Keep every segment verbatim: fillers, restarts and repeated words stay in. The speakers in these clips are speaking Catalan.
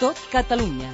Tot Catalunya.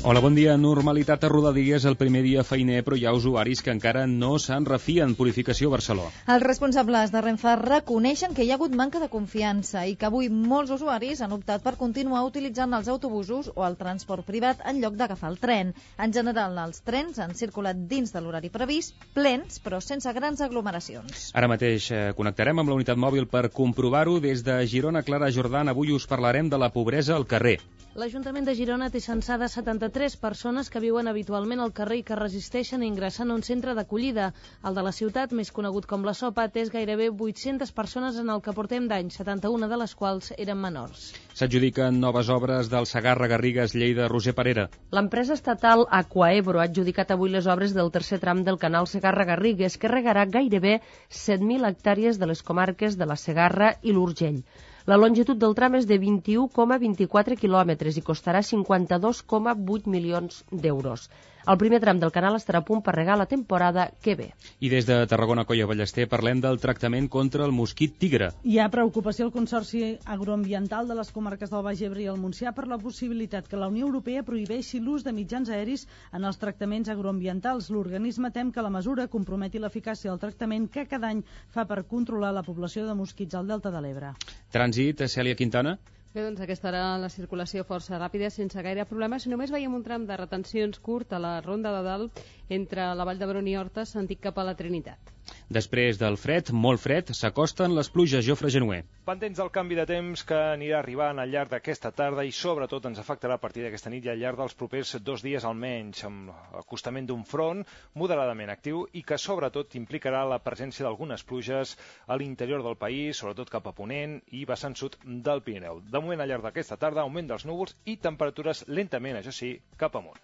Hola, bon dia. Normalitat a Rodalies el primer dia feiner, però hi ha usuaris que encara no se'n refien. Purificació Barcelona. Els responsables de Renfe reconeixen que hi ha hagut manca de confiança i que avui molts usuaris han optat per continuar utilitzant els autobusos o el transport privat en lloc d'agafar el tren. En general, els trens han circulat dins de l'horari previst, plens, però sense grans aglomeracions. Ara mateix eh, connectarem amb la unitat mòbil per comprovar-ho. Des de Girona, Clara Jordan, avui us parlarem de la pobresa al carrer. L'Ajuntament de Girona té censades setanta-tres persones que viuen habitualment al carrer i que resisteixen a ingressar en un centre d'acollida. El de la ciutat, més conegut com la Sopa, té gairebé vuit-centes persones en el que portem d'any, setanta-una de les quals eren menors. S'adjudiquen noves obres del Segarra-Garrigues, Lleida, Roger Parera. L'empresa estatal Aquaebro ha adjudicat avui les obres del tercer tram del canal Segarra-Garrigues, que regarà gairebé set mil hectàrees de les comarques de la Segarra i l'Urgell. La longitud del tram és de vint-i-u coma vint-i-quatre quilòmetres i costarà cinquanta-dos coma vuit milions d'euros. El primer tram del canal estarà a punt per regar la temporada que ve. I des de Tarragona, Colla Ballester, parlem del tractament contra el mosquit tigre. Hi ha preocupació al Consorci Agroambiental de les comarques del Baix Ebre i el Montsià per la possibilitat que la Unió Europea prohibeixi l'ús de mitjans aeris en els tractaments agroambientals. L'organisme tem que la mesura comprometi l'eficàcia del tractament que cada any fa per controlar la població de mosquits al Delta de l'Ebre. Trànsit, Cèlia Quintana. Bé, doncs aquesta era la circulació força ràpida, sense gaire problemes. Només veiem un tram de retencions curt a la Ronda de Dalt entre la Vall d'Hebron i Horta, sentit cap a la Trinitat. Després del fred, molt fred, s'acosten les pluges. Jofre Genuer. Pendents del canvi de temps que anirà arribant al llarg d'aquesta tarda i sobretot ens afectarà a partir d'aquesta nit i al llarg dels propers dos dies almenys, amb l'acostament d'un front moderadament actiu i que sobretot implicarà la presència d'algunes pluges a l'interior del país, sobretot cap a Ponent i vessant sud del Pirineu. De moment, al llarg d'aquesta tarda, augment dels núvols i temperatures lentament, això sí, cap amunt.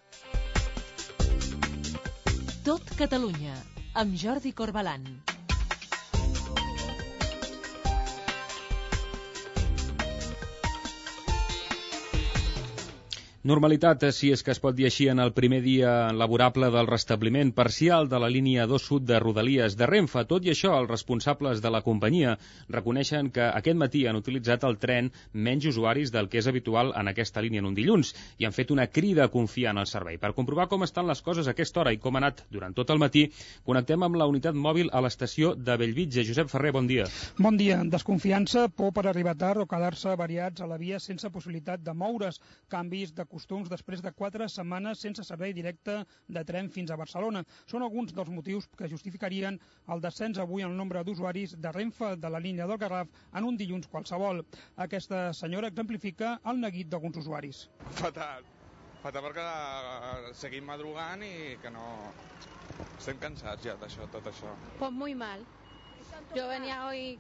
Tot Catalunya, amb Jordi Corbalan. Normalitat, si és que es pot dir així, en el primer dia laborable del restabliment parcial de la línia dos sud de Rodalies de Renfe. Tot i això, els responsables de la companyia reconeixen que aquest matí han utilitzat el tren menys usuaris del que és habitual en aquesta línia en un dilluns i han fet una crida a confiar en el servei. Per comprovar com estan les coses a aquesta hora i com ha anat durant tot el matí, connectem amb la unitat mòbil a l'estació de Bellvitge. Josep Ferrer, bon dia. Bon dia. Desconfiança, por per arribar tard o quedar-se variats a la via sense possibilitat de moure's, canvis de costums després de quatre setmanes sense servei directe de tren fins a Barcelona. Són alguns dels motius que justificarien el descens avui en el nombre d'usuaris de Renfe de la línia del Garraf en un dilluns qualsevol. Aquesta senyora exemplifica el neguit d'alguns usuaris. Fatal. Fatal perquè seguim madrugant i que no... Estem cansats ja d'això, tot això. Pues muy mal. Yo venía hoy,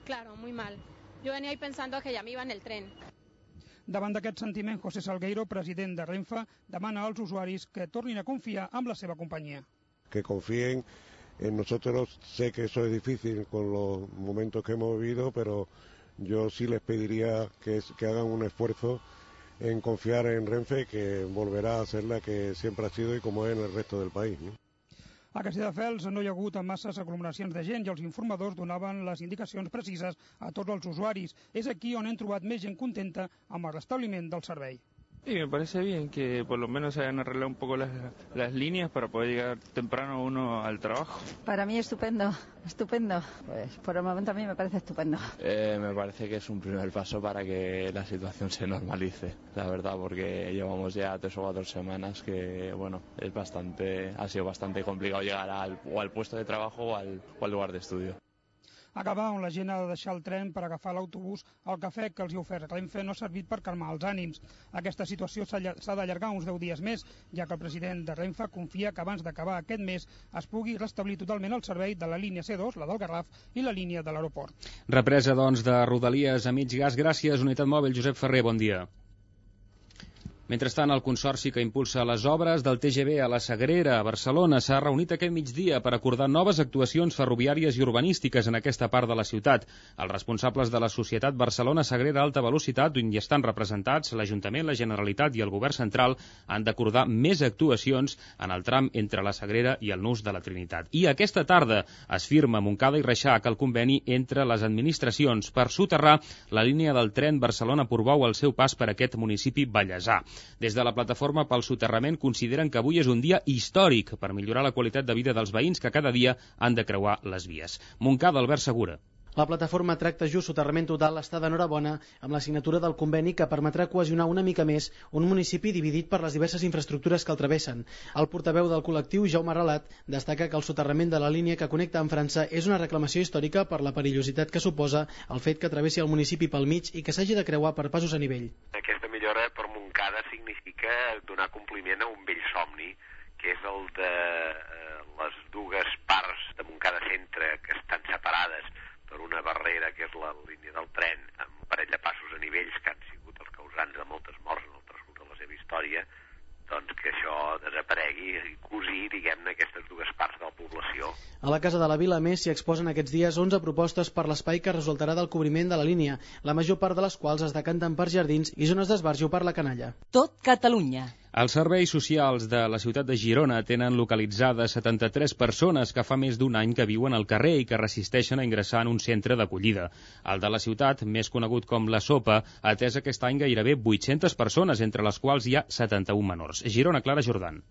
claro, muy mal. Yo venía hoy pensando que ya me iba en el tren. Davant d'aquest sentiment, José Salgueiro, president de Renfe, demana als usuaris que tornin a confiar en la seva companyia. Que confíen en nosotros. Sé que eso es difícil con los momentos que hemos vivido, pero yo sí les pediría que, que hagan un esfuerzo en confiar en Renfe, que volverá a ser la que siempre ha sido y como es en el resto del país, ¿no? A Castelldefels no hi ha hagut masses aglomeracions de gent i els informadors donaven les indicacions precises a tots els usuaris. És aquí on hem trobat més gent contenta amb el restabliment del servei. Sí, me parece bien que por lo menos se hayan arreglado un poco las, las líneas para poder llegar temprano uno al trabajo. Para mí estupendo, estupendo. Pues por el momento a mí me parece estupendo. Eh, me parece que es un primer paso para que la situación se normalice, la verdad, porque llevamos ya tres o cuatro semanas que, bueno, es bastante, ha sido bastante complicado llegar al, o al puesto de trabajo o al, o al lugar de estudio. Acabar on la gent ha de deixar el tren per agafar l'autobús, el cafè que els hi ha ofert Renfe no ha servit per calmar els ànims. Aquesta situació s'ha d'allargar uns deu dies més, ja que el president de Renfe confia que abans d'acabar aquest mes es pugui restablir totalment el servei de la línia C dos, la del Garraf, i la línia de l'aeroport. Represa, doncs, de Rodalies a mig gas. Gràcies, unitat mòbil. Josep Ferrer, bon dia. Mentrestant, el Consorci que impulsa les obres del T G V a la Sagrera, a Barcelona, s'ha reunit aquest migdia per acordar noves actuacions ferroviàries i urbanístiques en aquesta part de la ciutat. Els responsables de la Societat Barcelona Sagrera Alta Velocitat, on hi estan representats l'Ajuntament, la Generalitat i el Govern Central, han d'acordar més actuacions en el tram entre la Sagrera i el Nus de la Trinitat. I aquesta tarda es firma a Montcada i Reixac el conveni entre les administracions per soterrar la línia del tren Barcelona-Portbou al seu pas per aquest municipi vallesà. Des de la plataforma pel soterrament consideren que avui és un dia històric per millorar la qualitat de vida dels veïns que cada dia han de creuar les vies. Montcada, Albert Segura. La plataforma Tracte Just Soterrament Total està d'enhorabona amb la signatura del conveni que permetrà cohesionar una mica més un municipi dividit per les diverses infraestructures que el travessen. El portaveu del col·lectiu, Jaume Relat, destaca que el soterrament de la línia que connecta amb França és una reclamació històrica per la perillositat que suposa el fet que travessi el municipi pel mig i que s'hagi de creuar per passos a nivell. Aquesta millora per Montcada significa donar compliment a un vell somni, que és el de eh, les dues parts de Montcada Centre que estan separades per una barrera que és la línia del tren amb un parell de passos a nivells que han sigut els causants de moltes morts en el transcurs de la seva història, doncs que això desaparegui i cosir, diguem-ne, aquestes dues parts de la població. A la Casa de la Vila, a més, s'hi exposen aquests dies onze propostes per l'espai que resultarà del cobriment de la línia, la major part de les quals es decanten per jardins i zones d'esbarjo per la canalla. Tot Catalunya. Els serveis socials de la ciutat de Girona tenen localitzades setanta-tres persones que fa més d'un any que viuen al carrer i que resisteixen a ingressar en un centre d'acollida. El de la ciutat, més conegut com la Sopa, ha atès aquest any gairebé vuit-centes persones, entre les quals hi ha setanta-un menors. Girona, Clara Jordan.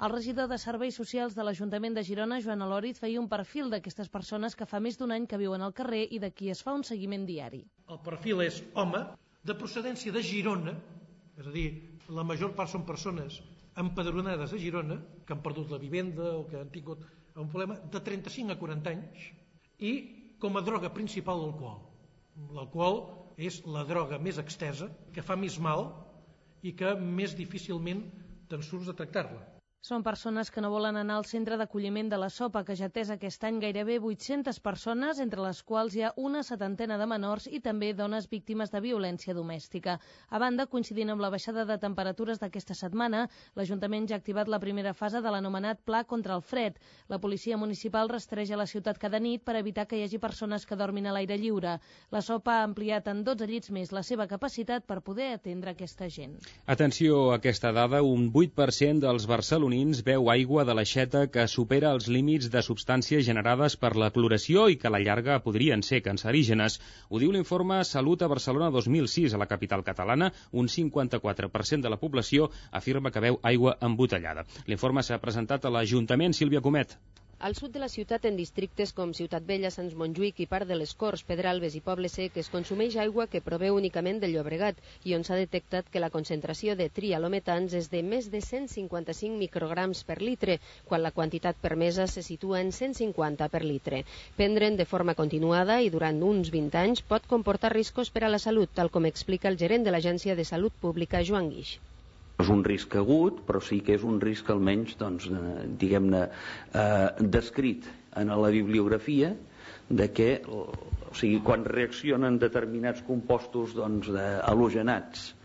El regidor de Serveis Socials de l'Ajuntament de Girona, Joan Alòriz, feia un perfil d'aquestes persones que fa més d'un any que viuen al carrer i de qui es fa un seguiment diari. El perfil és home, de procedència de Girona, és a dir, la major part són persones empadronades a Girona, que han perdut la vivenda o que han tingut un problema, de trenta-cinc a quaranta anys, i com a droga principal l'alcohol. L'alcohol és la droga més extesa, que fa més mal i que més difícilment te'n surts de tractar-la. Són persones que no volen anar al centre d'acolliment de la Sopa, que ja ha atès aquest any gairebé vuit-centes persones, entre les quals hi ha una setantena de menors i també dones víctimes de violència domèstica. A banda, coincidint amb la baixada de temperatures d'aquesta setmana, l'Ajuntament ja ha activat la primera fase de l'anomenat Pla contra el fred. La policia municipal rastreja la ciutat cada nit per evitar que hi hagi persones que dormin a l'aire lliure. La Sopa ha ampliat en dotze llits més la seva capacitat per poder atendre aquesta gent. Atenció a aquesta dada, un vuit per cent dels barcelonins beu aigua de l'aixeta que supera els límits de substàncies generades per la cloració i que a la llarga podrien ser cancerígenes. Ho diu l'informe Salut a Barcelona dos mil sis. A la capital catalana, un cinquanta-quatre per cent de la població afirma que beu aigua embotellada. L'informe s'ha presentat a l'Ajuntament. Sílvia Comet. Al sud de la ciutat, en districtes com Ciutat Vella, Sants Montjuïc i part de les Corts, Pedralbes i Poble Sec, es consumeix aigua que prové únicament del Llobregat i on s'ha detectat que la concentració de trialometans és de més de cent cinquanta-cinc micrograms per litre, quan la quantitat permesa se situa en cent cinquanta per litre. Prendre'n de forma continuada i durant uns vint anys pot comportar riscos per a la salut, tal com explica el gerent de l'Agència de Salut Pública, Joan Guix. És un risc agut, però sí que és un risc almenys, doncs, diguem-ne, eh, descrit en la bibliografia de que, o sigui, quan reaccionen determinats compostos, doncs, halogenats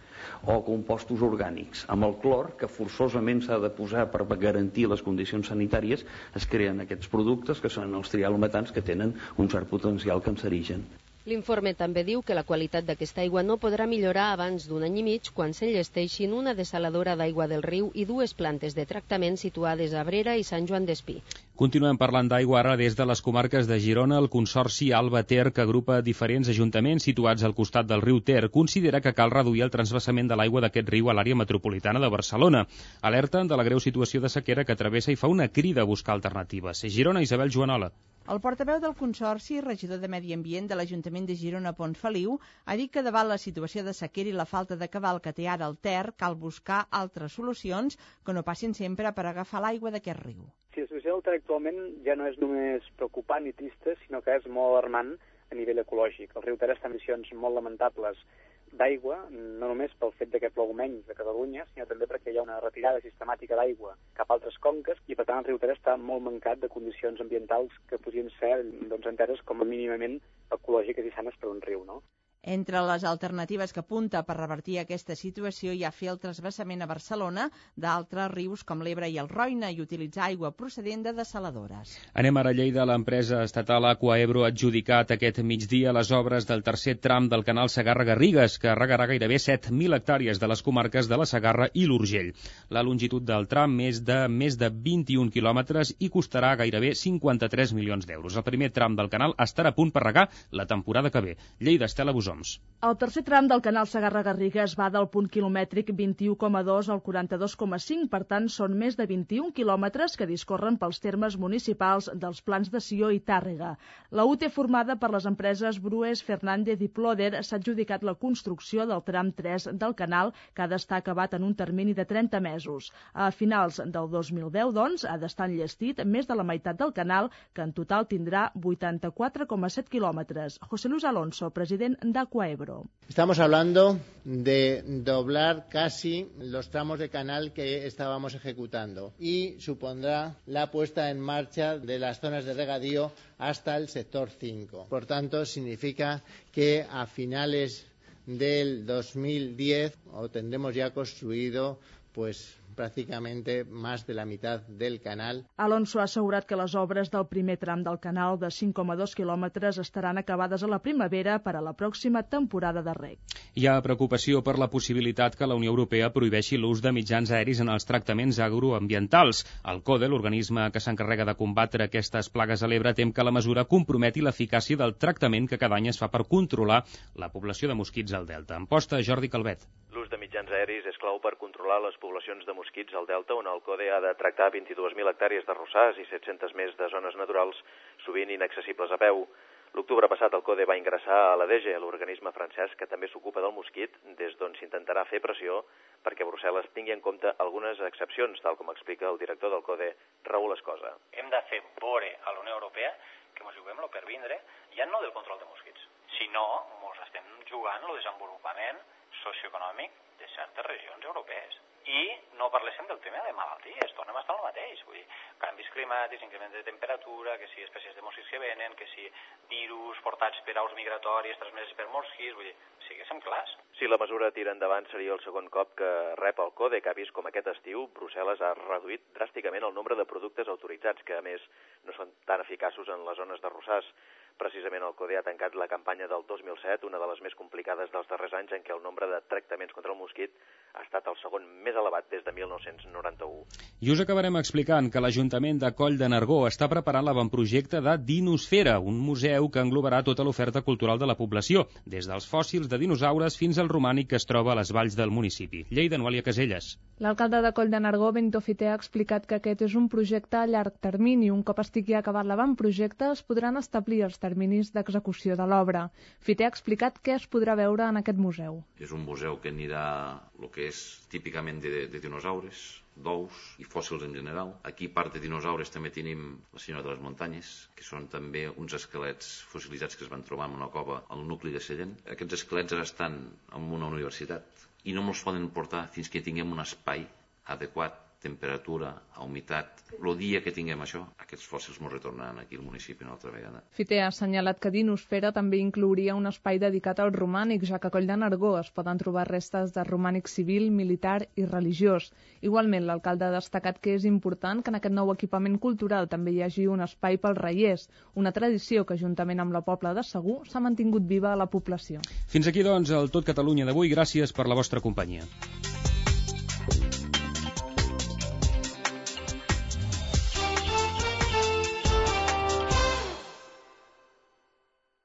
o compostos orgànics amb el clor, que forçosament s'ha de posar per garantir les condicions sanitàries, es creen aquests productes que són els trialometans, que tenen un cert potencial cancerigen. L'informe també diu que la qualitat d'aquesta aigua no podrà millorar abans d'un any i mig quan s'enllesteixin una desaladora d'aigua del riu i dues plantes de tractament situades a Abrera i Sant Joan d'Espí. Continuem parlant d'aigua ara des de les comarques de Girona. El Consorci Alba Ter, que agrupa diferents ajuntaments situats al costat del riu Ter, considera que cal reduir el transvasament de l'aigua d'aquest riu a l'àrea metropolitana de Barcelona. Alerten de la greu situació de sequera que travessa i fa una crida a buscar alternatives. Girona, Isabel Joanola. El portaveu del Consorci, regidor de Medi Ambient de l'Ajuntament de Girona, Pont Feliu, ha dit que davant la situació de sequera i la falta de cabal que té ara el Ter, cal buscar altres solucions que no passin sempre per agafar l'aigua d'aquest riu. Sí, la situació del Ter actualment ja no és només preocupant i trista, sinó que és molt alarmant a nivell ecològic. El riu Ter està en condicions molt lamentables d'aigua, no només pel fet que plou menys a Catalunya, sinó també perquè hi ha una retirada sistemàtica d'aigua cap a altres conques i, per tant, el riu Ter està molt mancat de condicions ambientals que podrien ser, doncs, enteses com a mínimament ecològiques i sanes per un riu, no? Entre les alternatives que apunta per revertir aquesta situació hi ha fer el trasbassament a Barcelona d'altres rius com l'Ebre i el Roine i utilitzar aigua procedent de dessaladores. Anem ara a Lleida. L'empresa estatal Aquaebro ha adjudicat aquest migdia les obres del tercer tram del canal Segarra-Garrigues, que regarà gairebé set mil hectàrees de les comarques de la Segarra i l'Urgell. La longitud del tram és de més de vint-i-un quilòmetres i costarà gairebé cinquanta-tres milions d'euros. El primer tram del canal estarà a punt per regar la temporada que ve. Lleida, Estela Busó. El tercer tram del canal Segarra-Garrigues va del punt quilomètric vint-i-u coma dos al quaranta-dos coma cinc, per tant són més de vint-i-un quilòmetres que discorren pels termes municipals dels Plans de Sió i Tàrrega. La U T E, formada per les empreses Brues, Fernández i Ploder, s'ha adjudicat la construcció del tram tres del canal, que ha d'estar acabat en un termini de trenta mesos. A finals del dos mil deu, doncs, ha d'estar enllestit més de la meitat del canal, que en total tindrà vuitanta-quatre coma set quilòmetres. José Luis Alonso, president de Aquaebro. Estamos hablando de doblar casi los tramos de canal que estábamos ejecutando y supondrá la puesta en marcha de las zonas de regadío hasta el sector cinco. Por tanto, significa que a finales del dos mil diez o tendremos ya construido pues pràcticamente más de la mitad del canal. Alonso ha assegurat que les obres del primer tram del canal de cinc coma dos quilòmetres estaran acabades a la primavera per a la pròxima temporada de reg. Hi ha preocupació per la possibilitat que la Unió Europea prohibeixi l'ús de mitjans aeris en els tractaments agroambientals. El CODE, l'organisme que s'encarrega de combatre aquestes plagues a l'Ebre, tem que la mesura comprometi l'eficàcia del tractament que cada any es fa per controlar la població de mosquits al Delta. En posta, Jordi Calvet. L'ús de mitjans aeris és clau per controlar les poblacions de mosquits al Delta, on el CODE ha de tractar vint-i-dues mil hectàrees de rossars i set-centes més de zones naturals, sovint inaccessibles a peu. L'octubre passat el CODE va ingressar a l'A D G, l'organisme francès que també s'ocupa del mosquit, des d'on s'intentarà fer pressió perquè Brussel·les tingui en compte algunes excepcions, tal com explica el director del CODE, Raúl Escosa. Hem de fer veure a la Unió Europea que ens juguem lo per vindre, ja no del control de mosquits, sinó ens estem jugant el desenvolupament socioeconòmic de certes regions europees. I no parléssim del tema de malalties, tornem a estar al mateix. Vull dir, canvis climàtics, increment de temperatura, que si espècies de mosquits que venen, que si virus portats per aus migratòries transmeses per mosquits, vull dir, siguéssim clars. Si la mesura tira endavant seria el segon cop que rep el CODE, que ha vist com aquest estiu Brussel·les ha reduït dràsticament el nombre de productes autoritzats, que a més no són tan eficaços en les zones de rossars. Precisament el CODE ha tancat la campanya del dos mil set, una de les més complicades dels darrers anys, en què el nombre de tractaments contra el mosquit ha estat el segon més elevat des de mil nou-cents noranta-u. I us acabarem explicant que l'Ajuntament de Coll de Nargó està preparant l'avantprojecte de Dinosfera, un museu que englobarà tota l'oferta cultural de la població, des dels fòssils de dinosaures fins al romànic que es troba a les valls del municipi. Lleida, Noelia Caselles. L'alcalde de Coll de Nargó, Bento Fité, ha explicat que aquest és un projecte a llarg termini. Un cop estigui acabat l'avantprojecte, es podran establir els terminis d'execució de l'obra. Fité ha explicat què es podrà veure en aquest museu. És un museu que anirà el que és típicament de, de dinosaures, d'ous i fòssils en general. Aquí, part de dinosaures, també tenim la senyora de les muntanyes, que són també uns esquelets fossilitzats que es van trobar en una cova al nucli de Sallent. Aquests esquelets ara estan en una universitat i no ens poden portar fins que tinguem un espai adequat, temperatura, humitat. El dia que tinguem això, aquests fòssils ens retornaran aquí al municipi una altra vegada. Fité ha assenyalat que Dinosfera també inclouria un espai dedicat al romànic, ja que a Coll de Nargó es poden trobar restes de romànic civil, militar i religiós. Igualment, l'alcalde ha destacat que és important que en aquest nou equipament cultural també hi hagi un espai pels reiers, una tradició que, juntament amb la Pobla de Segur, s'ha mantingut viva a la població. Fins aquí, doncs, el Tot Catalunya d'avui. Gràcies per la vostra companyia.